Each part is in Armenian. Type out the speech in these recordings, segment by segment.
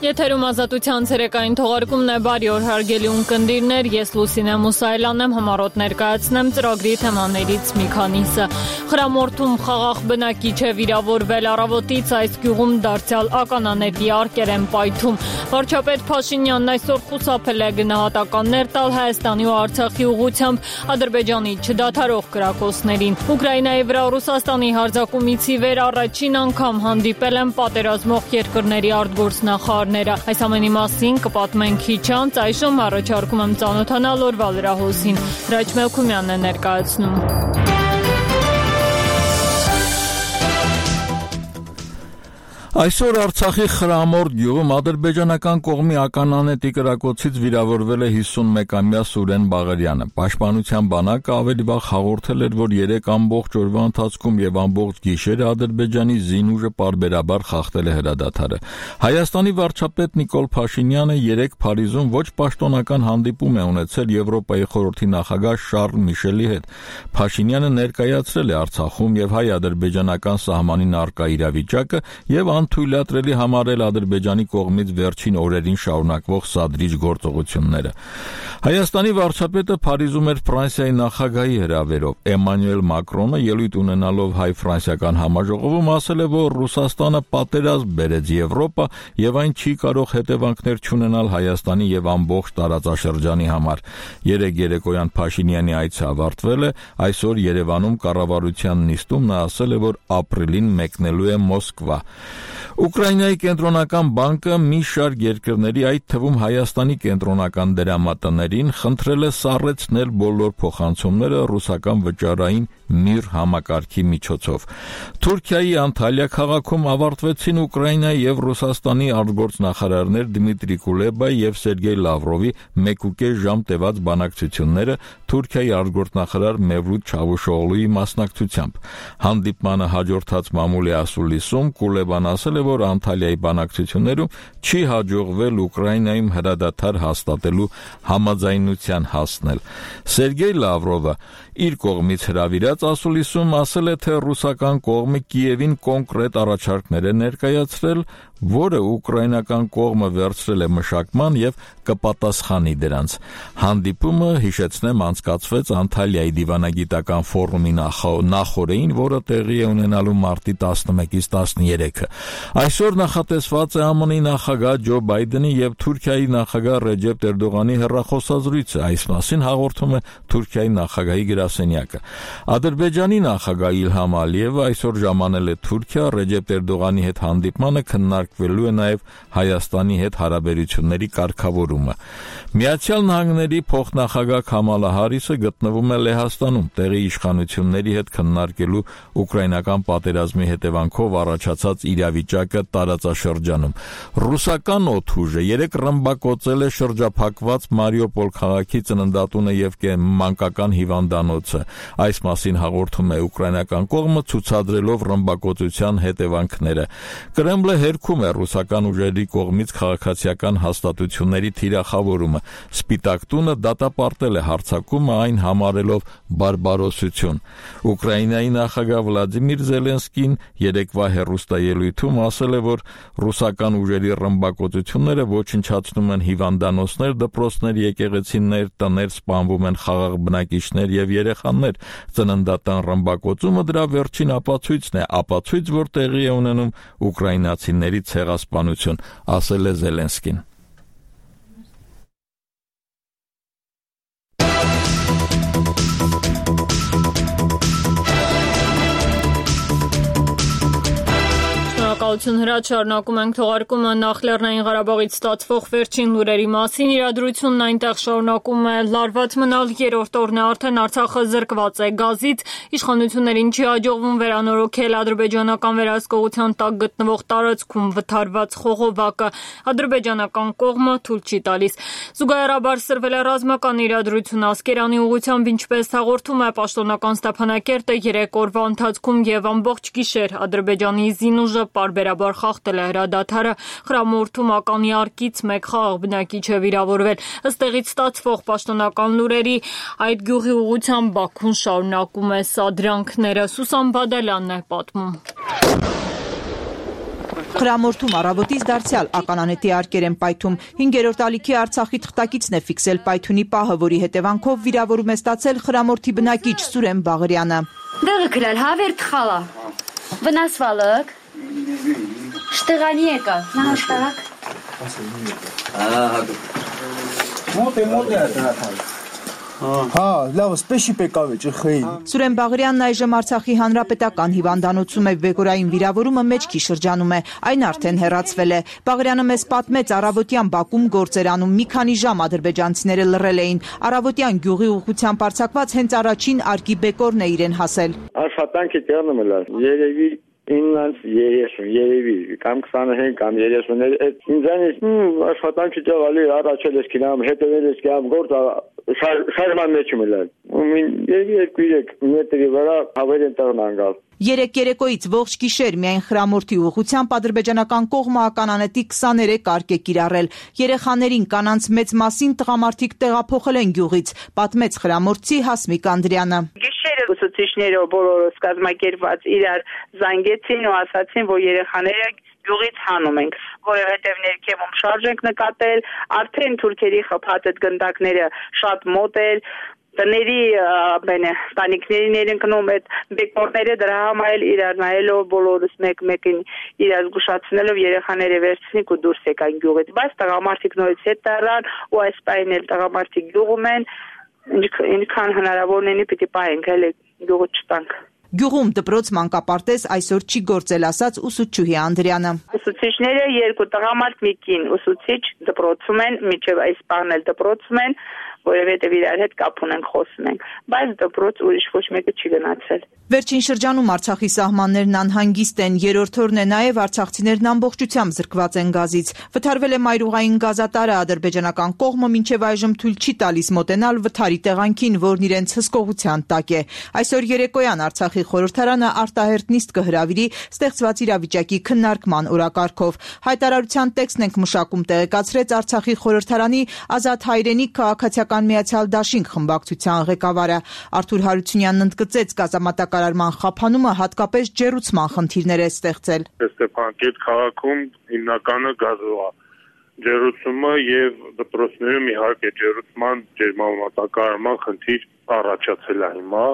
Եթերում ազատության ցերեկային թողարկումն է, բարի օր հարգելի ունկնդիրներ, ես Լուսինե Մուսայելյանն եմ, համառոտ ներկայացնեմ ծրագրի թեմաներից մի քանիսը։ Խրամորթում խաղաղ բնակիչ է վիրավորվել, առավոտից այս գյուղում դարձյալ ականաների արկեր են պայթում։ Վարչապետ Փաշինյանն այսօր խուսափել է գնահատականներ տալ Հայաստանի ու Արցախի ուղղությամբ Ադրբեջանի չդադարող կրակոցներին։ Ուկրաինայի վրա Ռուսաստանի հարձակումից ի վեր առաջին անգամ հանդիպել են պատերազմող երկրների արտգործնախարարները։ Այս ամենի մասին կպատմենք քիչ անց, այժմ առաջարկում եմ ծանոթանալ օրվա լրահոսին։ Հրաչ Մելքումյանն է ներկայացնում։ Այսօր Արցախի Խրամորթ գյուղում ադրբեջանական կողմի ականանետի կրակոցից վիրավորվել է 51-ամյա Սուրեն Բաղարյանը։ Պաշտպանության բանակը ավելի վաղ հաղորդել էր, որ 3 ամբողջ օրվա ընթացքում եւ ամբողջ գիշերը Ադրբեջանի զինուժը պարբերաբար խախտել է հրադադարը։ Հայաստանի վարչապետ Նիկոլ Փաշինյանը 3 Փարիզում ոչ պաշտոնական հանդիպում է ունեցել Եվրոպայի խորհրդի նախագահ Շարլ Միշելի հետ։ Փաշինյանը ներկայացրել է Արցախում եւ հայ-ադրբեջանական սահմանին առկա իրավիճակը եւ թույլատրելի համարել Ադրբեջանի կողմից վերջին օրերին շարունակվող սադրիչ գործողությունները։ Հայաստանի վարչապետը Փարիզում էր Ֆրանսիայի նախագահի հրավերով։ Էմանուել Մակրոնը ելույթ ունենալով հայ-ֆրանսիական համաժողովում ասել է, որ Ռուսաստանը պատերազմ բերեց Եվրոպա եւ այն չի կարող հետևանքներ չունենալ Հայաստանի եւ ամբողջ տարածաշրջանի համար։ Երեկ երեկոյան Փաշինյանի այցը ավարտվել է, այսօր Երևանում կառավարության նիստում նա ասել է, որ ապրիլին մեկնելու է Մոսկվա։ Ուկրաինայի կենտրոնական բանկը մի շարք երկրների, այդ թվում Հայաստանի կենտրոնական դրամատներին խնդրել է սառեցնել բոլոր փոխանցումները ռուսական վճարային ՄԻՌ համակարգի միջոցով։ Թուրքիայի Անտալիա քաղաքում ավարտվեցին Ուկրաինայի եւ Ռուսաստանի արտգործնախարարներ Դմիտրի Կուլեբայի եւ Սերգեյ Լավրովի 1.5 ժամ տևած բանակցությունները Թուրքիայի արտգործնախարար Մևլութ Չավուշօղլուի մասնակցությամբ։ Հանդիպմանը հաջորդած մամուլի ասուլիսում Կուլեբան ասել է, որ Անտալիայի բանակցություններում չի հաջողվել Ուկրաինայում հրադադար հաստատելու համաձայնության հասնել։ Սերգեյ Լավրովը իր կողմից հրավիրած ասուլիսում ասել է, թե ռուսական կողմը Կիևին կոնկրետ առաջարկներ է ներկայացրել, որը ուկրաինական կողմը վերցրել է մշակման եւ կպատասխանի դրանց։ Հանդիպումը, հիշեցնեմ, անցկացվեց Անտալիայի դիվանագիտական ֆորումի նախօրեին, որը տեղի է ունենալու մարտի 11-ից 13-ը։ Այսօր նախատեսված է ԱՄՆ-ի նախագահ Ջո Բայդենի եւ Թուրքիայի նախագահ Ռեջեփ Էրդողանի հեռախոսազրույցը։ Այս մասին հաղորդում է Թուրքիայի նախագահի գրասենյակը։ Ադրբեջանի նախագահ Իլհամ Ալիևը այսօր ժամանել է Թուրքիա Ռեջեփ Էրդողանի հետ հանդիպմանը քննարկվելու է նաեւ Հայաստանի հետ հարաբերությունների կարգավորումը։ Միացյալ Նահանգների փոխնախագահ Քամալա Հարիսը գտնվում է Լեհաստանում տեղի իշխանությունների հետ քննարկելու ուկրաինական պատերազմի հետևանքով առաջացած իրավիճակը տարածաշրջանում։ Ռուսական օդուժը 3 ռմբակոծել է շրջափակված Մարիուպոլ քաղաքի ծննդատունը եւ մանկական հիվանդանոցը։ Այս մասին հաղորդում է ուկրաինական կողմը, ցուցադրելով ռմբակոծության հետևանքները։ Կրեմլը հերքում է ռուսական ուժերի կողմից քաղաքացիական հաստատությունների թիրախավորումը։ Սպիտակ տունը դատապարտել է հարձակումը, այն համարելով բարբարոսություն։ Ուկրաինայի նախագահ Վլադիմիր Զելենսկին երեկվա հեռուստաելույթում ասել է, որ ռուսական ուժերի ռմբակոծությունները ոչնչացնում են հիվանդանոցներ, դպրոցներ, եկեղեցիներ, տներ, սպանվում են խաղաղ բնակիչներ եւ երեխաներ։ Ծննդատան ռմբակոծումը դրա վերջին ապացույցն է, ապացույց, որ տեղի է ունենում ուկրաինացիների ցեղասպանություն, ասել է Զելենսկին։ Շնորհակալություն Հրաչ, շարունակում ենք թողարկումը նախ Լեռնային Ղարաբաղից ստացվող վերջին լուրերի մասին։ Իրադրությունն այնտեղ շարունակում է լարված մնալ, երրորդ օրն է արդեն Արցախը զրկված է գազից, իշխանություններին չի հաջողվում վերանորոգել ադրբեջանական վերահսկողության տակ գտնվող տարածքում վթարված խողովակը, ադրբեջանական կողմը թույլ չի տալիս։ Զուգահեռաբար սրվել է ռազմական իրադրություն Ասկերանի ուղղությամբ, ինչպես հաղորդում է պաշտոնական Ստեփանակերտը, 3 օրվա ընթացքում եւ ամբողջ գիշեր Ադրբեջանի զինուժը պարբերաբար խախտել է հրադադարը, Խրամորթում ականի արկից 1 խաղաղ բնակիչ է վիրավորվել։ Ըստ տեղից ստացվող պաշտոնական լուրերի, այդ գյուղի ուղղությամբ Բաքուն շարունակում է սադրանքները։ Սուսան Բադալյանն է պատմում։ Խրամորթում առավոտից դարձյալ ականանետի արկեր են պայթում։ 5-րդ ալիքի Արցախի թղթակիցն է ֆիքսել պայթյունի պահը, որի հետևանքով վիրավորում է ստացել Խրամորթի բնակիչ Սուրեն Բաղարյանը։ Դեղը քլալ հավեր թխալա։ Վնասվալակ։ Շտեղանի եկա։ Նահաշտարակ։ Հա, լավ, սպեշի պեկավ է ջխեին։ Սուրեն Բաղարյանն այժմ Արցախի հանրապետական հիվանդանոցում է, վեգորային վիրավորումը մեջքի շրջանում է, այն արդեն հեռացվել է։ Բաղարյանը մեզ պատմեց, առավոտյան Բաքվում գործ էր անում, մի քանի ժամ ադրբեջանցիները լռել էին։ Առավոտյան գյուղի ուղղությամբ արձակված հենց առաջին արկի բեկորն է իրեն հասել։ Աշխատանքի տեղն եմ լար, երևի 9:30 երևի կամ 25 կամ 30 ինձանից աշխատանքի տեղալի առաջել ես կինամ հետևել ես կինամ գործ շարժման մեջ եմ լար երևի 2-3 մետրի վրա հավերեն տեղն անգալ 3 երեկոյից ողջ գիշեր միայն Խրամորթի ուղղությամբ ադրբեջանական կողմը ականանետի 23 արկ է կիրառել։ Երեխաներին, կանանց մեծ մասին տղամարդիկ տեղափոխել են գյուղից, պատմեց Խրամորթցի Հասմիկ Անդրյանը։ Գիշերը ուսուցիչները բոլորս կազմակերպված իրար զանգեցին ու ասացին, որ երեխաները գյուղից հանում ենք, որովհետև ներքևում շարժ ենք նկատել, արդեն թուրքերի խփած այդ գնդակները շատ մոտ էր։ Տների տանիքներին էր ընկնում այդ բեկորները դրա համար իրար նայելով բոլորս մեկ-մեկին իրար զգուշացնելով երեխաները վերցնիկ ու դուրս եկան գյուղից բայց տղամարդիկ նորից հետ տարան ու այս պահին էլ տղամարդիկ գյուղում են ինչքան հնարավոր լինի պիտի պահենք հələ գյուղը չտանք Գյուղում դպրոց մանկապարտեզ այսօր չի գործել, ասաց ուսուցչուհի Անդրյանը։ Ուսուցիչները 2 տղամարդ մի կին ուսուցիչ դպրոցում են, միջև այս բանն էլ դպրոցում են, որովհետև իրար հետ կապ ունենք, խոսում ենք, բայց դպրոց ուրիշ ոչ մեկը չի գնացել։ Վերջին շրջանում Արցախի սահմաններն անհանգիստ են, երրորդ օրն է նաև արցախցիներն ամբողջությամբ զրկված են գազից։ Վթարվել է մայրուղային գազատարը, ադրբեջանական կողմը մինչև այժմ թույլ չի տալիս մոտենալ վթարի տեղանքին, որն իրենց հսկողության տակ է։ Այսօր երեկոյան Արցախի խորհրդարանը արտահերտ նիստ կհրավիրի ստեղծված իրավիճակի քննարկման օրակարգով։ Հայտարարության տեքստն ենք մշակում, տեղեկացրեց Արցախի խորհրդարանի Ազատ հայրենիք քաղաքացիական միացյալ դաշինք խմբակցության ղեկավարը Արթուր Հարությունյանն ընդգծեց գազամատակարարման խափանումը հատկապես ջեռուցման խնդիրներ է ստեղծել։ Ստեփանակերտ քաղաքում հիմնականը գազով է ջեռուցումը եւ դպրոցներում իհարկե ջեռուցման ջերմամատակարարման խնդիր առաջացել է հիմա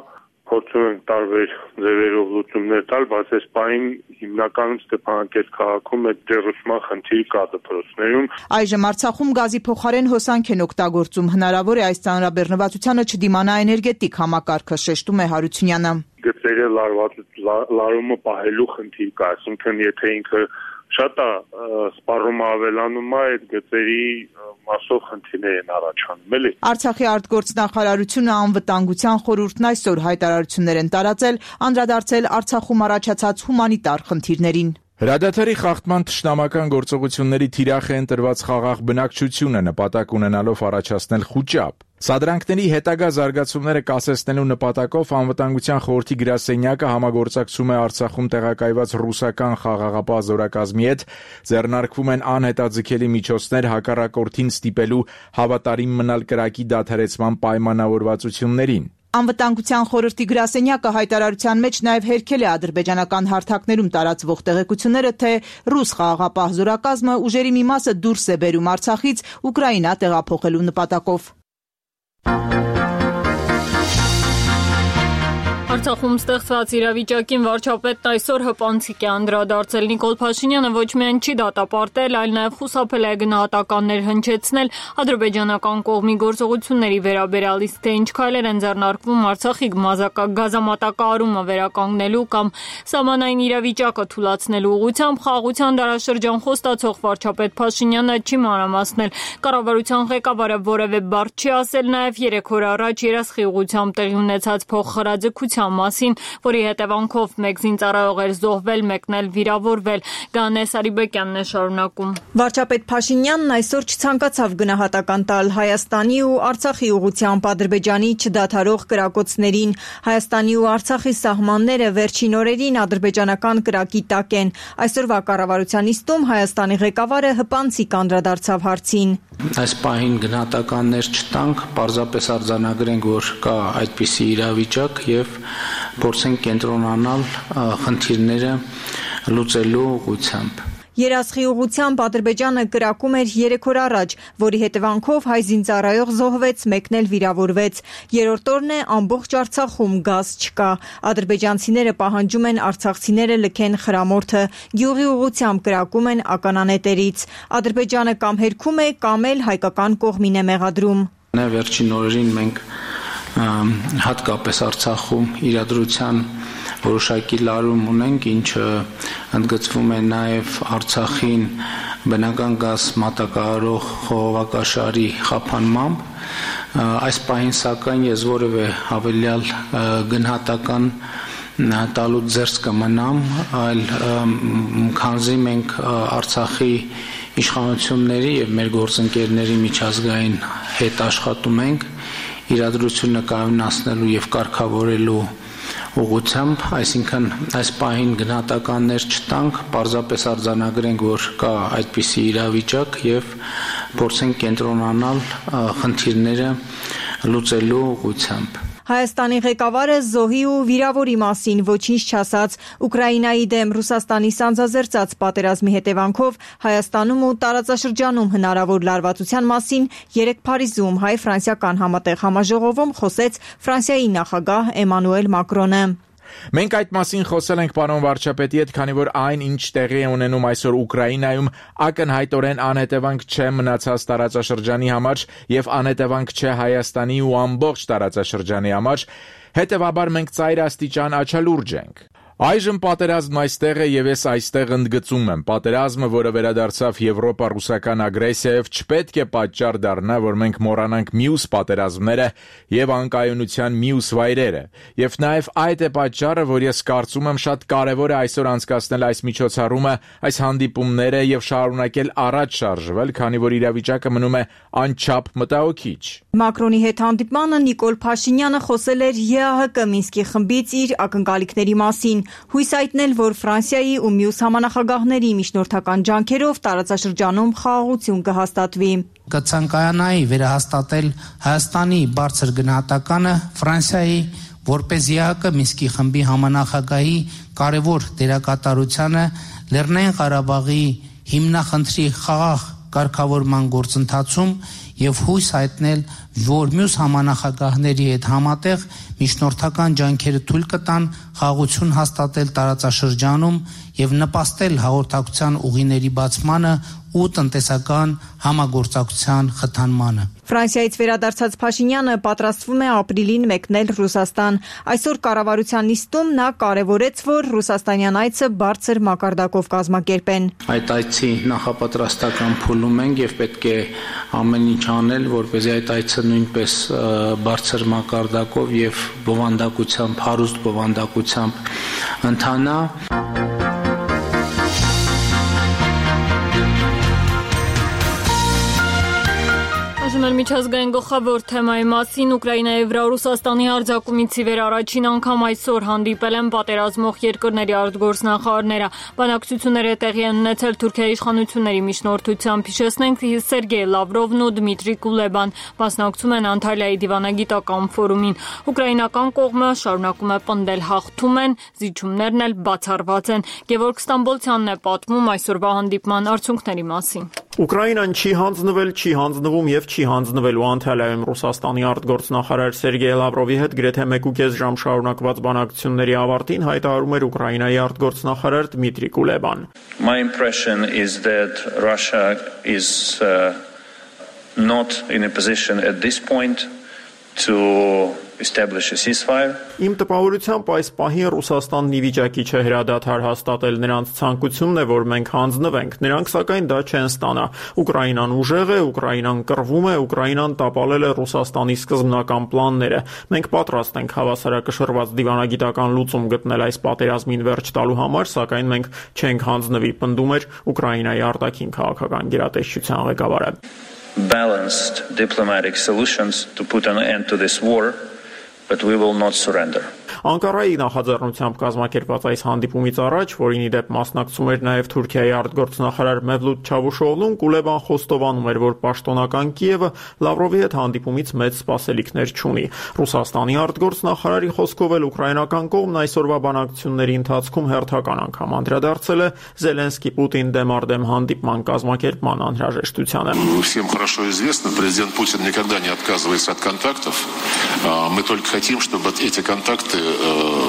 փորձում ենք տարբեր ձևերով լուծումներ տալ, բայց այս պահին հիմնականում Ստեփանակերտ քաղաքում այդ ջեռուցման խնդիր կա դպրոցներում։ Այժմ Արցախում գազի փոխարեն հոսանք են օգտագործում, հնարավոր է այս ծանրաբեռնվածությանը չդիմանա էներգետիկ համակարգը, շեշտում է Հարությունյանը։ Գծերը լարումը պահելու խնդիր կա, այսինքն եթե ինքը շատ է սպառումը ավելանում է այդ գծերի մասով խնդիրներ են առաջանում, էլի։ Արցախի արտգործնախարարությունը անվտանգության խորհուրդն այսօր հայտարարություններ են տարածել, անդրադարձել Արցախում առաջացած հումանիտար խնդիրներին։ Հրադադարի խախտման թշնամական գործողությունների թիրախ է ընտրված խաղաղ բնակչությունը նպատակ ունենալով առաջացնել խուճապ։ Սադրանքների հետագա զարգացումները կասեցնելու նպատակով անվտանգության խորհրդի գրասենյակը համագործակցում է Արցախում տեղակայված ռուսական խաղաղապահ զորակազմի հետ, ձեռնարկվում են անհետաձգելի միջոցներ հակառակորդին ստիպելու հավատարիմ մնալ կրակի դադարեցման պայմանավորվածություններին։ Անվտանգության խորհրդի գրասենյակը հայտարարության մեջ նաև հերքել է ադրբեջանական հարթակներում տարածվող տեղեկությունները, թե ռուս խաղաղապահ զորակազմը ուժերի մի մասը դուրս է բերում Արցախից Ուկրաինա տեղափոխելու նպատակով։ Արցախում ստեղծված իրավիճակին վարչապետն այսօր հպանցիկ է անդրադարձել։ Նիկոլ Փաշինյանը ոչ միայն չի դատապարտել, այլ նաև խուսափել է գնահատականներ հնչեցնել ադրբեջանական կողմի գործողությունների վերաբերյալ, իսկ թե ինչ քայլեր են ձեռնարկվում Արցախի գազամատակարարումը վերականգնելու կամ սահմանային իրավիճակը թույլատնելու ուղղությամբ, խաղաղության դարաշրջան խոստացող վարչապետ Փաշինյանը չի մանրամասնել։ Կառավարության ղեկավարը որևէ բառ չի ասել նաև 3 օր առաջ Երասխի ուղղությամբ տեղի ունեցած փոխհրաձգության մասին, որի հետևանքով մեկ զինծառայող էր զոհվել, մեկն էլ վիրավորվել։ Գանե Սարիբեկյանն է շարունակում։ Վարչապետ Փաշինյանն այսօր չցանկացավ գնահատական տալ Հայաստանի ու Արցախի ուղղությամբ Ադրբեջանի չդադարող կրակոցներին։ Հայաստանի ու Արցախի սահմանները վերջին օրերին ադրբեջանական կրակի տակ են։ Այսօրվա կառավարության նիստում Հայաստանի ղեկավարը հպանցիկ անդրադարձավ հարցին։ Այս պահին գնահատականներ չտանք, պարզապես արձանագրենք, որ կա այդպիսի իրավիճակ եւ փորձենք կենտրոնանալ խնդիրները լուծելու ուղղությամբ։ Երասխի ուղղությամբ Ադրբեջանը կրակում էր 3 օր առաջ, որի հետևանքով հայ զինծառայող զոհվեց, մեկն էլ վիրավորվեց։ Երրորդ օրն է ամբողջ Արցախում գազ չկա։ Ադրբեջանցիները պահանջում են արցախցիները լքեն խրամորդը, գյուղի ուղղությամբ կրակում են ականանետերից։ Ադրբեջանը կամ հերքում է, կամ էլ հայկական կողմին է մեղադրում։ Վերջին օրերին մենք հատկապես Արցախում իրադրության որոշակի լարում ունենք, ինչը ընդգծվում է նաև Արցախին բնական գազ մատակարարող խողովակաշարի խափանմամբ։ Այս պահին սակայն ես որևէ հավելյալ գնահատական տալուց զերծ կմնամ, այլ քանզի մենք Արցախի իշխանությունների եւ մեր գործընկերների միջազգային հետ աշխատում ենք իրադրությունը կայունացնելու եւ կարգավորելու ուղղությամբ, այսինքն այս պահին գնահատականներ չտանք, պարզապես արձանագրենք, որ կա այդպիսի իրավիճակ եւ փորձենք կենտրոնանալ խնդիրները լուծելու ուղղությամբ։ Հայաստանի ղեկավարը զոհի ու վիրավորի մասին ոչինչ չասաց։ Ուկրաինայի դեմ Ռուսաստանի սանձազերծած պատերազմի հետևանքով Հայաստանում ու տարածաշրջանում հնարավոր լարվածության մասին երեկ Փարիզում հայ-ֆրանսիական համատեղ համաժողովում խոսեց Ֆրանսիայի նախագահ Էմանուել Մակրոնը։ Մենք այդ մասին խոսել ենք պարոն վարչապետի հետ, քանի որ այն, ինչ տեղի է ունենում այսօր Ուկրաինայում, ակնհայտորեն անհետևանք չէ մնացած տարածաշրջանի համար եւ անհետևանք չէ Հայաստանի ու ամբողջ տարածաշրջանի համար, հետեւաբար մենք ծայրաստիճան աչալուրջ ենք։ Այժմ պատերազմն այստեղ է եւ ես այստեղ ընդգծում եմ, պատերազմը, որը վերադարձավ Եվրոպա-ռուսական ագրեսիայով, չպետք է պատճառ դառնա, որ մենք մոռանանք մյուս պատերազմները եւ անկայունության մյուս վայրերը։ Եվ նաեւ այդ է պատճառը, որ ես կարծում եմ շատ կարեւոր է այսօր անցկացնել այս միջոցառումը, այս հանդիպումները եւ շարունակել առաջ շարժվել, քանի որ իրավիճակը մնում է անչափ մտահոգիչ։ Մակրոնի հետ հանդիպմանը Նիկոլ Փաշինյանը խոսել էր ԵԱՀԿ Մինսկի խմբից իր ակնկալիքների մասին, հույս հայտնել, որ Ֆրանսիայի ու մյուս համանախագահների միջնորդական ջանքերով տարածաշրջանում խաղաղություն կհաստատվի։ Կցանկանայի վերահաստատել Հայաստանի բարձր գնահատականը Ֆրանսիայի որպես ԵԱՀԿ Մինսկի խմբի համանախագահի կարևոր դերակատարությանը Լեռնային Ղարաբաղի հիմնախնդրի խաղաղ կարգավորման գործընթացում եւ հույս հայտնել, որ մյուս համանախագահների հետ համատեղ միջնորդական ջանքերը թույլ կտան խաղաղություն հաստատել տարածաշրջանում եւ նպաստել հաղորդակցության ուղիների բացմանը ու տնտեսական համագործակցության խթանմանը։ Ֆրանսիայից վերադարձած Փաշինյանը պատրաստվում է ապրիլին մեկնել Ռուսաստան։ Այսօր կառավարության նիստում նա կարևորեց, որ ռուսաստանյան այցը բարձր մակարդակով կազմակերպեն։ Այդ այցի նախապատրաստական փուլում ենք եւ պետք է ամեն ինչ անել, որպեսզի այդ այցը նույնպես բարձր մակարդակով եւ բովանդակությամբ, հարուստ բովանդակությամբ ընթանա։ Միջազգային գլխավոր թեմայի մասին Ուկրաինայի վրա Ռուսաստանի հարձակումից ի վեր առաջին անգամ այսօր հանդիպել են պատերազմող երկրների արտգործնախարարները։ Բանակցությունները տեղի են ունեցել Թուրքիայի իշխանությունների միջնորդությամբ։ Հիշեցնենք, Սերգեյ Լավրովն ու Դմիտրի Կուլեբան մասնակցում են Անտալիայի դիվանագիտական ֆորումին։ Ուկրաինական կողմը շարունակում է պնդել հաղթում են, զիջումներն էլ բացառված են։ Գևորգ Ստամբոլցյանն է պատմում այսօրվա հանդիպման արդյունքների մասին։ Ուկրաինան չի հանձնվել, չի հանձնվում եւ չի հանձնվելու Անտալիայում Ռուսաստանի արտգործնախարար Սերգեյ Լավրովի հետ գրեթե 1.5 ժամ շարունակված բանակցությունների ավարտին հայտարարում էր Ուկրաինայի արտգործնախարար Դմիտրի Կուլեբան. My impression is that Russia is not in a position at this point to establish a ceasefire. Իմ տպավորությամբ այս պահին Ռուսաստանն ի վիճակի չէ հրադադար հաստատել, նրանց ցանկությունն է, որ մենք հանձնվենք, նրանք սակայն դա չեն ստանա։ Ուկրաինան ուժեղ է, Ուկրաինան կռվում է, Ուկրաինան տապալել է Ռուսաստանի սկզբնական պլանները։ Մենք պատրաստ ենք հավասարակշռված դիվանագիտական լուծում գտնել այս պատերազմին վերջ տալու համար, սակայն մենք չենք հանձնվի, պնդում էր Ուկրաինայի արտաքին քաղաքական գերատեսչության ղեկավարը։ Balanced diplomatic solutions to put an end to this war, but we will not surrender. Անկարայի նախաձեռնությամբ կազմակերպված այս հանդիպումից առաջ, որին ի դեպ մասնակցում էր նաև Թուրքիայի արտգործնախարար Մևլութ Չավուշօղլուն, Կուլեբան խոստովանում էր, որ պաշտոնական Կիևը Լավրովի հետ հանդիպումից մեծ սպասելիքներ չունի։ Ռուսաստանի արտգործնախարարի խոսքով էլ ուկրաինական կողմն այսօրվա բանակցությունների ընթացքում հերթական անգամ անդրադարձել է Զելենսկի-Պուտին դեմարդեմ հանդիպման կազմակերպման անհրաժեշտությանը։ Всем хорошо известно, президент Путин никогда не отказывается от контактов. Мы только хотим, чтобы эти контакты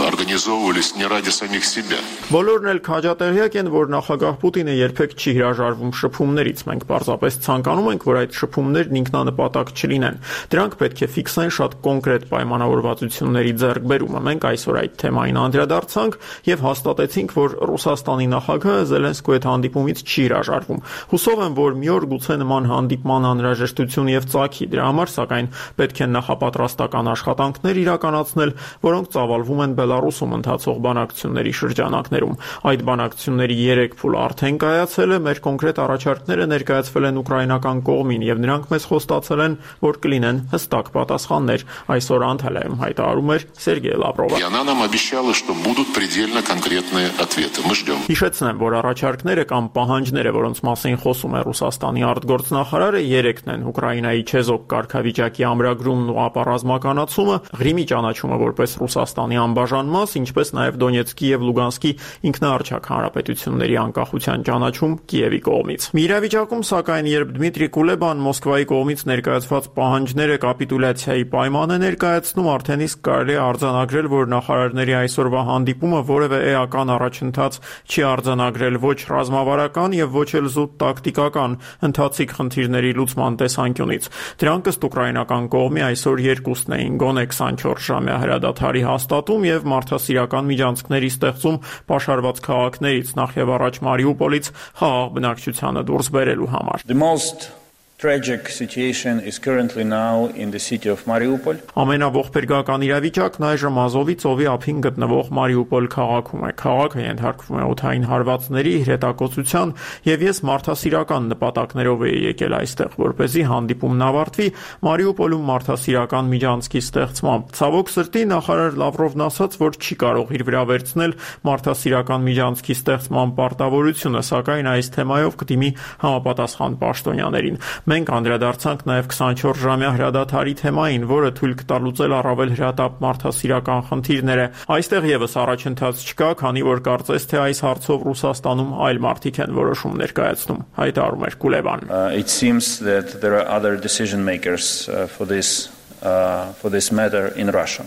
организовывались не ради самих себя. Բոլորն էլ քաջատեղյակ են, որ նախագահ Պուտինը երբեք չի հրաժարվում շփումներից։ Մենք պարզապես ցանկանում ենք, որ այդ շփումներն ինքնանպատակ չլինեն։ Դրանք պետք է ֆիքսեն շատ կոնկրետ պայմանավորվածությունների ձեռքբերումը։ Մենք այսօր այդ թեմային անդրադարձանք եւ հաստատեցինք, որ Ռուսաստանի նախագահը Զելենսկու հետ հանդիպումից չի հրաժարվում։ Հուսով եմ, որ մի օր գուցե նման հանդիպման անհրաժեշտություն եւ ծագի։ Դրա համար, սակայն, պետք է նախապատրաստական աշխատանքներ իրականացնել, որոնք ծավալվում են Բելարուսում ընթացող բանակցությունների շրջանակներում։ Այդ բանակցությունների 3 փուլ արդեն կայացել է, մեր կոնկրետ առաջարկները ներկայացվել են ուկրաինական կողմին եւ նրանք մեզ խոստացել են, որ կլինեն հստակ պատասխաններ։ Այսօր Անտալիայում հայտարարում էր Սերգեյ Լավրովը։ Она нам обещала, что будут предельно конкретные ответы. Мы ждем. Հիշեցնեմ, որ առաջարկները կամ պահանջները, որոնց մասին խոսում է Ռուսաստանի արտգործնախարարը, 3-ն են՝ Ուկրաինայի չեզոք կարգավիճակի ամրագրումն ու ապառազմականացումը, Ղրիմի ճանաչումը որպես Ռուսաստանի անբաժան մաս, ինչպես նաև Դոնեցկի եւ Լուգանսկի ինքնաառաջակ հանրապետությունների անկախության ճանաչում Կիևի կողմից։ Մի իրավիճակում, սակայն, երբ Դմիտրի Կուլեբան Մոսկվայի կողմից ներկայացված պահանջները կապիտուլյացիայի պայման է ներկայացնում, արդեն իսկ կարելի է արձանագրել, որ նախարարների այսօրվա հանդիպումը որևէ էական առաջընթաց չի արձանագրել ոչ ռազմավարական եւ ոչ էլ զուտ տակտիկական ընթացիկ խնդիրների լուծման տեսանկյունից։ Դրանք ըստ ուկրաինական կողմի այսօր երկուսն էին՝ գոնե 24-ժամյա հրադադարի հաստատում եւ մարդասիրական միջանցքների ստեղծում պաշարված քաղաքներից, նախ եւ առաջ Մարիուպոլից խաղաղ բնակչությանը դուրս բերելու համար։ The most tragic situation is currently now in the city of Mariupol. Ամենաողբերգական իրավիճակն այժմ Ազովի ծովի ափին գտնվող Մարիուպոլ քաղաքում է։ Քաղաքը ենթարկվում է օդային հարվածների, հրետակոծության եւ ես մարդասիրական նպատակներով էի եկել այստեղ, որպեսզի հանդիպումն ավարտվի Մարիուպոլում մարդասիրական միջանցքի ստեղծմամբ։ Ցավոք սրտի նախարար Լավրովն ասաց, որ չի կարող իր վրա վերցնել մարդասիրական միջանցքի ստեղծման պարտավորությունը, սակայն այս թեմայով կդիմի համապատասխան պաշտոնյաներին։ Մենք անդրադարձանք նաև 24-ժամյա հրադադարի թեմային, որը թույլ կտա լուծել առավել հրատապ մարդասիրական խնդիրները։ Այստեղ եւս առաջընթաց չկա, քանի որ կարծես թե այս հարցով Ռուսաստանում այլ մարդիկ են որոշում ներկայացնում, հայտարարում էր Կուլեբան։ It seems that there are other decision makers for this matter in Russia.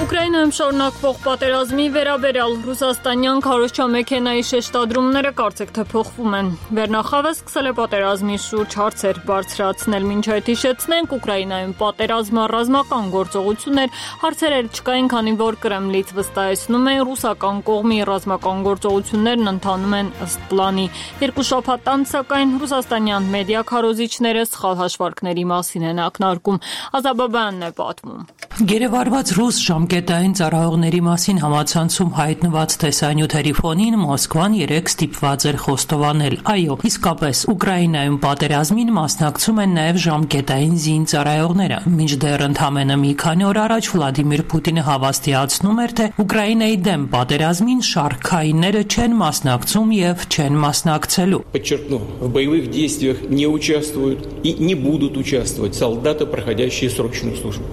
Ուկրաինայում շարունակվող պատերազմի վերաբերյալ ռուսաստանյան քարոզչամեքենայի շեշտադրումները կարծեք թե փոխվում են։ Վերնախավը սկսել է պատերազմի շուրջ հարցեր բարձրացնել, մինչ այդ հիշեցնենք, Ուկրաինայում պատերազմը ռազմական գործողություններ, հարցեր չկային, քանի որ Կրեմլից վստահեցնում են ռուսական կողմի ռազմական գործողություններն ընթանում են ըստ պլանի։ Երկու շաբաթ անց, սակայն, ռուսաստանյան մեդիա քարոզիչները սխալ հաշվարկների մասին են ակնարկում։ Ազաբաբյանն է պատմում։ Գերեվարված ռուս ժամկետային ծառայողների մասին համացանցում հայտնված տեսանյութերի ֆոնին Մոսկվան 3 ստիպված էր խոստովանել։ Այո, իսկապես Ուկրաինայում պատերազմին մասնակցում են նաև ժամկետային զինծառայողները։ Մինչդեռ ընդամենը մի քանի օր առաջ Վլադիմիր Պուտինը հավաստիացնում էր, թե Ուկրաինայի դեմ պատերազմին շարքայինները չեն մասնակցում եւ չեն մասնակցելու։ Подчеркну, в боевых действиях не участвуют и не будут участвовать солдаты, проходящие срочную службу.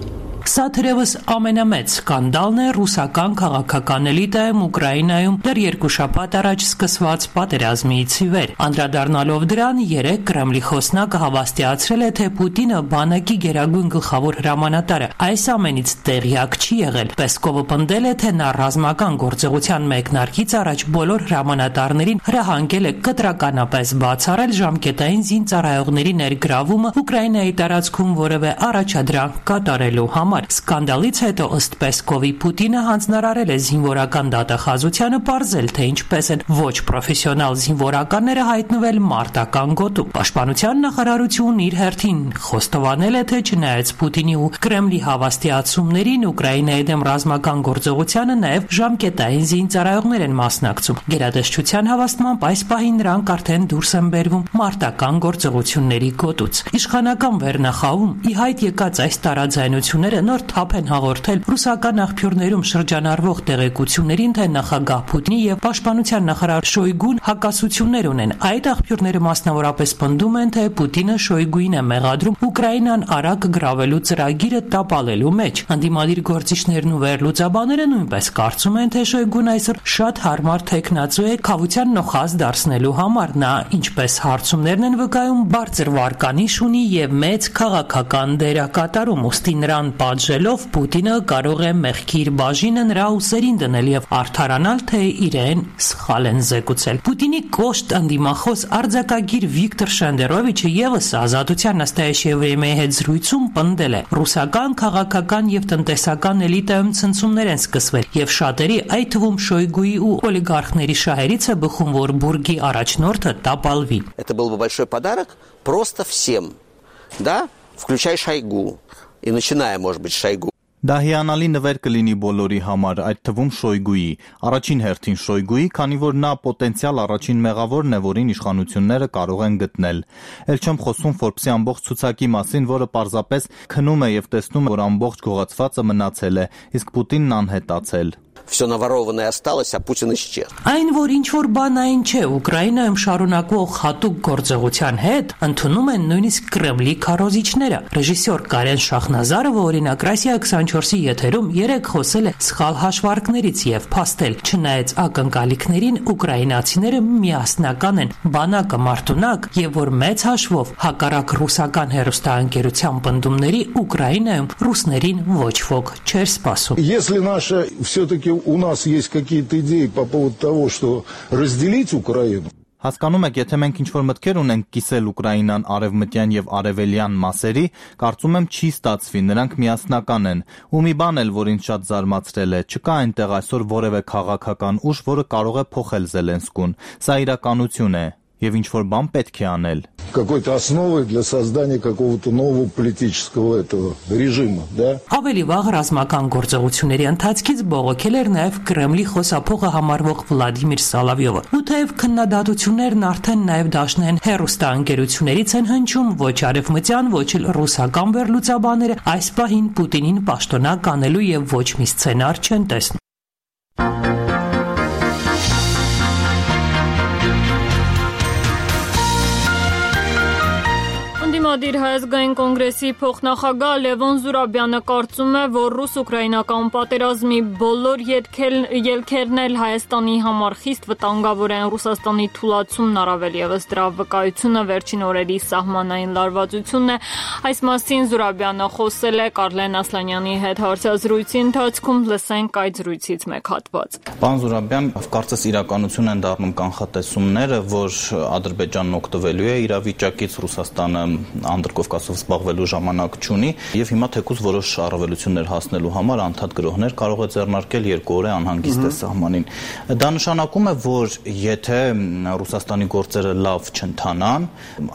Սա թերևս ամենամեծ սկանդալն է ռուսական քաղաքական էլիտայում Ուկրաինայում դեռ 2 շաբաթ առաջ սկսված պատերազմից ի վեր։ Անդրադառնալով դրան, 3 Կրեմլի խոսնակը հավաստիացրել է, թե Պուտինը բանակի գերագույն գլխավոր հրամանատարը այս ամենից տեղյակ չի եղել։ Պեսկովը պնդել է, թե նա ռազմական գործողության մեկնարկից առաջ բոլոր հրամանատարներին հրահանգել է կտրականապես բացառել ժամկետային զինծառայողների ներգրավումը Ուկրաինայի տարածքում որևէ առաջադրանք կատարելու համար։ համար։ Սկանդալից հետո ըստ Պեսկովի Պուտինը հանձնարարել է զինվորական դատախազությանը պարզել, թե ինչպես են ոչ պրոֆեսիոնալ զինվորականները հայտնվել մարտական գոտում։ Պաշտպանության նախարարությունն իր հերթին խոստովանել է, թե չնայած Պուտինի ու Կրեմլի հավաստիացումներին Ուկրաինայի դեմ ռազմական գործողությանը նաև ժամկետային զինծառայողներ են մասնակցում։ Գերատեսչության հավաստմամբ այս պահին նրանք արդեն դուրս են բերվում մարտական գործողությունների գոտուց։ Իշխանական վերնախավում ի հայտ եկած այս տարաձայնությունները նոր թափ են հաղորդել ռուսական աղբյուրներում շրջանառվող տեղեկություններին, թե նախագահ Պուտինի եւ պաշտպանության նախարար Շոյգուն հակասություններ ունեն։ Այդ աղբյուրները մասնավորապես պնդում են, թե Պուտինը Շոյգուին է մեղադրում Ուկրաինան արագ գրավելու ծրագիրը տապալելու մեջ։ Անդիմադիր գործիչներն ու վերլուծաբանները նույնպես կարծում են, թե Շոյգուն այսօր շատ հարմար թեկնածու է քավության նոխազ դարձնելու համար։ Նա, ինչպես հարցումներն են վկայում, բարձր վարկանիշ ունի եւ մեծ քաղաքական դերակատարում, ուստի նրան պատժելով Պուտինը կարող է մեղքի իր բաժինը նրա ուսերին դնել եւ արդարանալ, թե իրեն սխալ են զեկուցել։ Պուտինի կոշտ անդիմախոս արձակագիր Վիկտոր Շենդերովիչը եւս Ազատության նստայեշի վրեմեի հետ զրույցում պնդել է. ռուսական քաղաքական եւ տնտեսական էլիտայում ցնցումներ են սկսվել եւ շատերի, այդ թվում Շոյգուի ու օլիգարխների շահերից է բխում, որ բուրգի առաջնորդը տապալվի։ Это был бы большой подарок просто всем, да, включая Шойгу и начиная, может быть, Шойгу. Դա հիանալի նվեր կլինի բոլորի համար, այդ թվում Շոյգուի, առաջին հերթին Շոյգուի, քանի որ նա պոտենցիալ առաջին մեղավորն է, որին իշխանությունները կարող են գտնել։ Էլ չեմ խոսում Forbes-ի ամբողջ ցուցակի մասին, որը պարզապես քնում է եւ տեսնում, որ ամբողջ գողացվածը մնացել է, իսկ Պուտինն անհետացել։ Все наворованное осталось, а Путин исчез. Այն, որ ինչ-որ բան այն չէ, Ուկրաինայում շարունակվող հատուկ գործողության հետ ընդունում են նույնիսկ Կրեմլի քարոզիչները։ Ռեժիսոր Կարեն Շախնազարովը, օրինակ, Ռասիա 24-ի եթերում երեկ խոսել է սխալ հաշվարկներից եւ փաստել, չնայած ակնկալիքներին, ուկրաինացիները միասնական են, բանակը մարտունակ եւ որ մեծ հաշվով հակառակ ռուսական հեռուստաընկերության պնդումների Ուկրաինայում ռուսներին ոչ ոք չէր սպասում։ Если наша все-таки у нас есть какие-то идеи по поводу того, что разделить Украину. Հասկանում եք, եթե մենք ինչ-որ մտքեր ունենք կիսել Ուկրաինան արևմտյան եւ արևելյան մասերի, կարծում եմ չի ստացվի, նրանք միասնական են։ Ու մի բան էլ, որ ինձ շատ զարմացրել է, չկա այնտեղ այսօր որևէ քաղաքական ուժ, որը կարող է փոխել Զելենսկուն։ Սա իրականություն է եւ ինչ-որ բան պետք է անել։ Какой-то основой для создания какого-то нового политического этого режима, да? Ավելի վաղ ռազմական գործողությունների ընթացքից բողոքել էր նաև Կրեմլի խոսափողը համարվող Վլադիմիր Սալավյովը։ Ու թեև քննադատություններն արդեն նաև դաշնային հեռուստաընկերություններից են հնչում, ոչ արևմտյան, ոչ էլ ռուսական վերլուծաբանները այս պահին Պուտինին պաշտոնակ անելու եւ ոչ մի սցենար չեն տեսնում։ Անդիմադիր Հայազգային կոնգրեսի փոխնախագահ Լևոն Զուրաբյանը կարծում է, որ ռուս-ուկրաինական պատերազմի բոլոր ելքերն էլ Հայաստանի համար խիստ վտանգավոր են։ Ռուսաստանի թուլացումն առավել եւս դրա վկայությունը վերջին օրերի սահմանային լարվածությունն է։ Այս մասին Զուրաբյանը խոսել է Կարլեն Ասլանյանի հետ հարցազրույցի ընթացքում, լսենք այդ զրույցից մեկ հատված։ Պարոն Զուրաբյան, կարծես իրականություն են դառնում կանխատեսումները, որ Ադրբեջանն օգտվելու է իրավիճակից, Ռուսաստանը Անդրկովկասով զբաղվելու ժամանակ չունի եւ հիմա թեկուզ որոշ առավելություններ հասնելու համար անդադ գրողներ կարող է ձեռնարկել 2 օր անհանգիստ է սահմանին։ Դա նշանակում է, որ եթե Ռուսաստանի գործերը լավ չընթանան,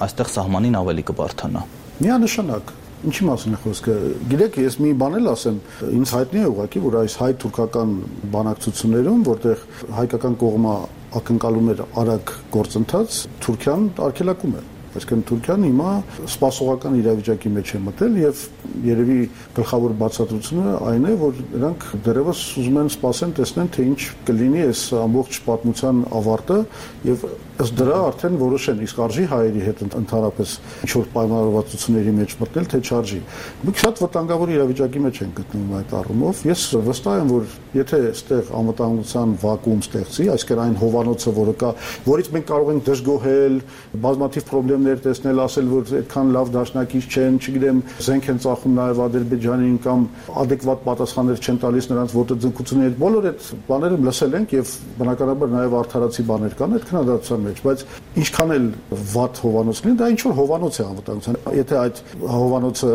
այստեղ սահմանին ավելի կբարթանա։ Միանշանակ Ինչի մասին է խոսքը։ Գիտեք, ես մի բան էլ ասեմ, ինձ հայտնի է ուղղակի, որ այս հայ-թուրքական բանակցություններում, որտեղ հայկական կողմը ակնկալում էր արագ գործընթաց, Թուրքիան արգելակում է։ Այսինքն Թուրքիան հիմա սպասողական իրավիճակի մեջ է մտել եւ երևի գլխավոր բացատրությունը այն է, որ նրանք դեռևս ուզում են սպասեն, տեսնեն, թե ինչ կլինի այս ամբողջ պատմության ավարտը եւ ըստ դրա արդեն որոշեն, իսկ արժի հայերի հետ ընդհանրապես ինչ-որ պայմանավորվածությունների մեջ մտնել, թե չարժի։ Մենք շատ վտանգավոր իրավիճակի մեջ ենք գտնվում այդ առումով։ Ես վստահ եմ, որ եթե այստեղ անվտանգության վակուում ստեղծի, այսինքն այն հովանոցը, որը կա, որից մենք կարող ենք դժգոհել, բազմաթիվ խնդիրներ տեսնել, ասել, որ այդքան լավ դաշնակից չեն, չգիտեմ, զենք են ծախում նաև Ադրբեջանին կամ adekvat պատասխաններ չեն տալիս նրանց ոտաձգությունների, բոլոր այդ բաները լսել ենք եւ բնականաբար նաև արդարացի բաներ կան այդ քննադատության մեջ, բայց ինչքան էլ վատ հովանոցն է, դա ինչ որ հովանոց է անվտանգության։ Եթե այդ հովանոցը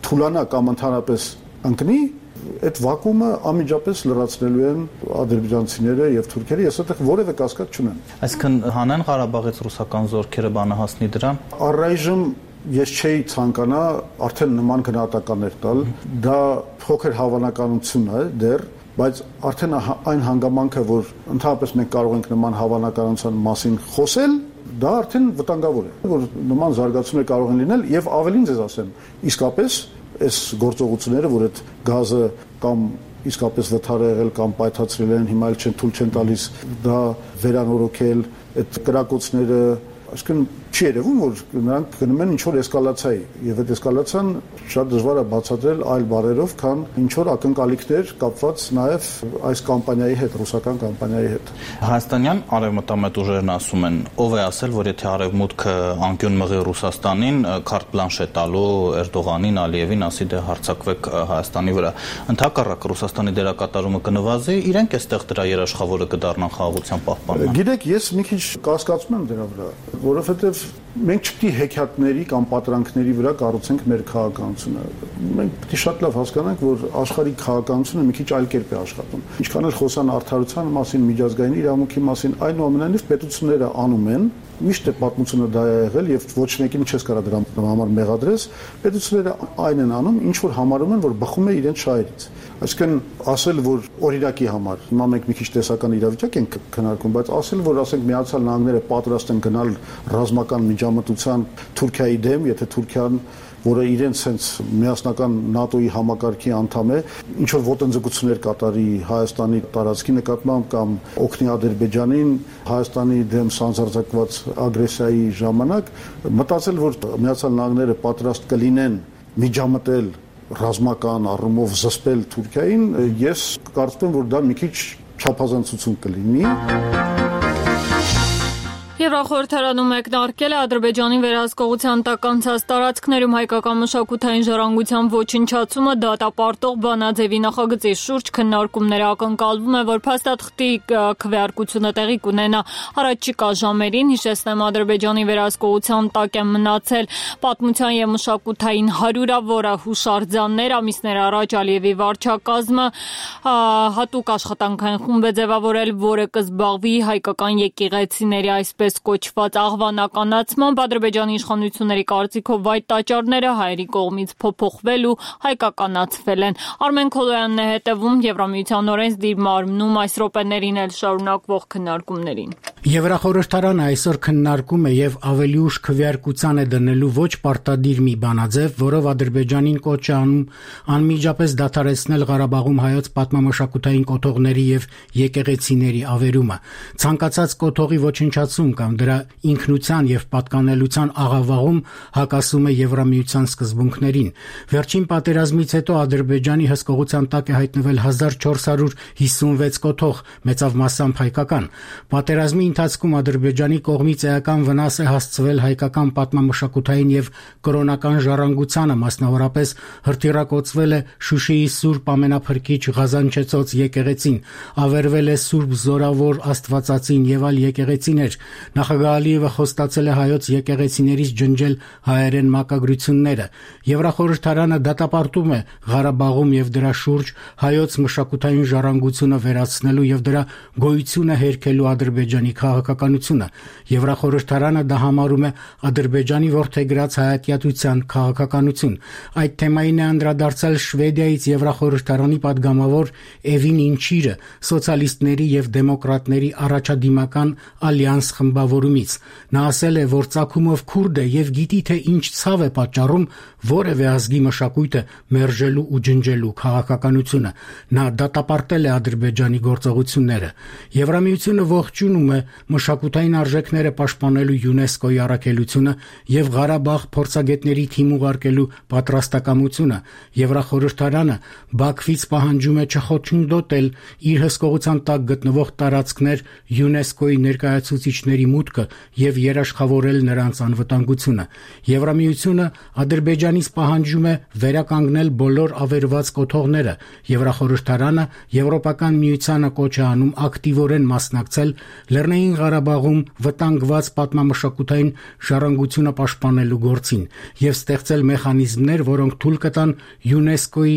թուլանա կամ ընդհանրապես ընկնի, այդ վակուումը անմիջապես լրացնելու են ադրբեջանցիները եւ թուրքերը, ես այդտեղ որևէ կասկած չունեմ։ Այսինքն հանեն Ղարաբաղից ռուսական զորքերը բանը հասնի դրան։ Առայժմ ես չէի ցանկանա արդեն նման գնահատականներ տալ, դա փոքր հավանականություն է դեռ, բայց արդեն այն հանգամանքը, որ ընդհանրապես մենք կարող ենք նման հավանականության մասին խոսել, դա արդեն վտանգավոր է, որ նման զարգացումներ կարող են լինել եւ ավելին ձեզ ասեմ, իսկապես այս գործողությունները, որ այդ գազը կամ իսկապես վթար եղել կամ պայթացրել են, հիմա էլ թույլ չեն տալիս դա վերանորոգել, այդ կրակոցները, այսինքն չի երևում, որ նրանք գնում են ինչ-որ էսկալացիայի եւ այդ էսկալացիան շատ դժվար է բացատրել այլ բառերով, քան ինչ-որ ակնկալիքներ կապված նաեւ այս կամպանիայի հետ, ռուսական կամպանիայի հետ։ Հայաստանյան արևմտամետ ուժերն ասում են, ով է ասել, որ եթե արևմուտքը անկյուն մղի Ռուսաստանին, քարտ բլանշ է տալու Էրդողանին, Ալիևին, ասի դե հարձակվեք Հայաստանի վրա։ Ընդհակառակ Ռուսաստանի դերակատարումը կնվազի, իրենք էստեղ դրա երաշխավորը կդառնան խաղաղության պահպանման։ Գիտեք, ես մի քիչ կասկածում եմ դրա վրա, որովհետեւ մենք չպետք է հեքիաթների կամ պատրանքների վրա կառուցենք մեր քաղաքականությունը։ Մենք պետք է շատ լավ հասկանանք, որ աշխարհի քաղաքականությունը մի քիչ այլ կերպ է աշխատում։ Ինչքան էլ խոսան արդարության մասին, միջազգային իրավունքի մասին, այնուամենայնիվ պետությունները անում են, միշտ է պատմությունը դա է եղել եւ ոչ մեկին չես կարա դրա համար մեղադրես, պետությունները այն են անում, ինչ որ համարում են, որ բխում է իրենց շահերից։ Այսինքն ասել, որ օրինակի համար, հիմա մենք մի քիչ տեսական իրավիճակ ենք քննարկում, բայց ասել, որ ասենք Միացյալ Նահանգները պատրաստ են գնալ ռազմական միջամտության Թուրքիայի դեմ, եթե Թուրքիան, որը իրենց հենց միասնական ՆԱՏՕ-ի համակարգի անդամ է, ինչ որ ոտնձգություններ կատարի Հայաստանի տարածքի նկատմամբ կամ օգնի Ադրբեջանին Հայաստանի դեմ սանձարձակված ագրեսիայի ժամանակ, մտածել, որ Միացյալ Նահանգները պատրաստ կլինեն միջամտել ռազմական առումով զսպել Թուրքիային, ես կարծում եմ, որ դա մի քիչ չափազանցություն կլինի։ Եվրախորհրդարանում մեկնարկել է Ադրբեջանի վերահսկողության տակ անցած տարածքներում հայկական մշակութային ժառանգության ոչնչացումը դատապարտող բանաձևի նախագծի շուրջ քննարկումները ակնկալվում է, որ փաստաթղթի քվեարկությունը տեղի կունենա առաջիկա ժամերին, հիշեցնեմ Ադրբեջանի վերահսկողության տակ են մնացել պատմության եւ մշակութային հարյուրավորը հուշարձաններ, ամիսներ առաջ Ալիևի վարչակազմը հատուկ աշխատանքային խումբ է ձևավորել, որը կզբաղվի հայկական եկեղեցիների այսպես կոչված աղվանականացմամբ Ադրբեջանի իշխանությունների կարծիքով այդ տաճարները հայերի կողմից փոփոխվել ու հայկականացվել են։ Արմեն Քոլոյանն է հետևում Եվրամիության օրենսդիր մարմնում այս րոպեներին էլ շարունակվող քննարկումներին։ Եվրախորհրդարանը այսօր քննարկում է եւ ավելի ուշ քվեարկության է դնելու ոչ պարտադիր մի բանաձև, որով Ադրբեջանին կոչ է անում անմիջապես դադարեցնել Ղարաբաղում հայոց պատմամշակութային կոթողների եւ եկեղեցիների ավերումը։ Ցանկացած կոթողի ոչնչացում կամ դրա ինքնության եւ պատկանելության աղավաղում հակասում է Եվրամիության սկզբունքներին։ Վերջին պատերազմից հետո Ադրբեջանի հսկողության տակ է հայտնվել 1456 կոթող, մեծավ մասամբ հայկական։ Պատերազմի ընթացքում Ադրբեջանի կողմից էական վնաս է հասցվել հայկական պատմամշակութային եւ կրոնական ժառանգությանը, մասնավորապես հրթիռակոծվել է Շուշիի Սուրբ Ամենափրկիչ Ղազանչեցոց եկեղեցին, ավերվել է Սուրբ Զորավոր Աստվածածին եւ այլ եկեղեցիներ։ Նախագահ Ալիևը խոստացել է հայոց եկեղեցիներից ջնջել հայերեն մակագրությունները։ Եվրախորհրդարանը դատապարտում է Ղարաբաղում եւ դրա շուրջ հայոց մշակութային ժառանգությունը վերացնելու եւ դրա գոյությունը հերքելու Ադրբեջանի քաղաքականությունը։ Եվրախորհրդարանը դա համարում է Ադրբեջանի որդեգրած հայատյացության քաղաքականություն։ Այդ թեմային է անդրադարձել Շվեդիայից Եվրախորհրդարանի падգամավոր Էվին Ինչիրը սոցիալիստների եւ դեմոկրատների առաջադիմական ալյանս խմբավորումից։ Նա ասել է, որ ցակումով քուրդ է եւ գիտի թե ինչ ցավ է պատճառում որևէ ազգի մշակույթը մերժելու ու ջնջելու քաղաքականությունը։ Նա դատապարտել է Ադրբեջանի գործողությունները։ Եվրամիությունը ողջունում է մշակութային արժեքները պաշտպանելու ՅՈՒՆԵՍԿՕ-ի առաքելությունը եւ Ղարաբաղ փորձագետների թիմ ուղարկելու պատրաստակամությունը։ Եվրախորհրդարանը Բաքվից պահանջում է չխոչընդոտել իր հսկողության տակ գտնվող տարածքներ ՅՈՒՆԵՍԿՕ-ի ներկայացուցիչների մուտքը եւ երաշխավորել նրանց անվտանգությունը։ Եվրամիությունը Ադրբեջանից պահանջում է վերականգնել բոլոր ավերված կոթողները։ Եվրախորհրդարանը Եվրոպական միությանը կոչ է անում ակտիվորեն մասնակցել Լեռնային Ղարաբաղում վտանգված պատմամշակութային ժառանգությունը պաշտպանելու գործին եւ ստեղծել մեխանիզմներ, որոնք թույլ կտան ՅՈՒՆԵՍԿՕ-ի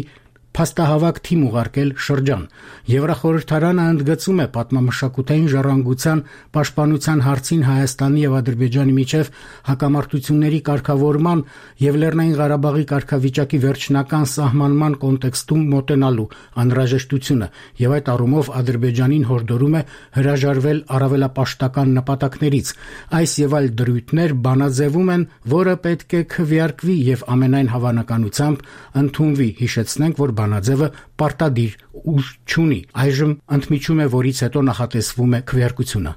փաստահավաք թիմ ուղարկել շրջան։ Եվրախորհրդարանը ընդգծում է պատմամշակութային ժառանգության պաշտպանության հարցին Հայաստանի եւ Ադրբեջանի միջև հակամարտությունների կարգավորման եւ Լեռնային Ղարաբաղի կարգավիճակի վերջնական սահմանման կոնտեքստում մոտենալու անհրաժեշտությունը եւ այդ առումով Ադրբեջանին հորդորում է հրաժարվել առավելապաշտական նպատակներից։ Այս եւ այլ դրույթներ բանաձևում են, որը պետք է քվեարկվի եւ ամենայն հավանականությամբ ընդունվի։ Հիշեցնենք, որ բանաձևը պարտադիր ուժ չունի։ Այժմ ընդմիջում է, որից հետո նախատեսվում է քվեարկությունը։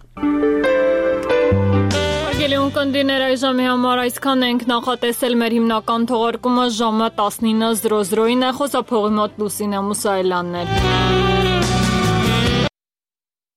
Արգելիուն կնդիներ այժմի համար այսքան ենք նախատեսել մեր հիմնական թողարկումը ժամը 19:00-ին է, խոսափողի մոտ Լուսինե Մուսայելյանն էր։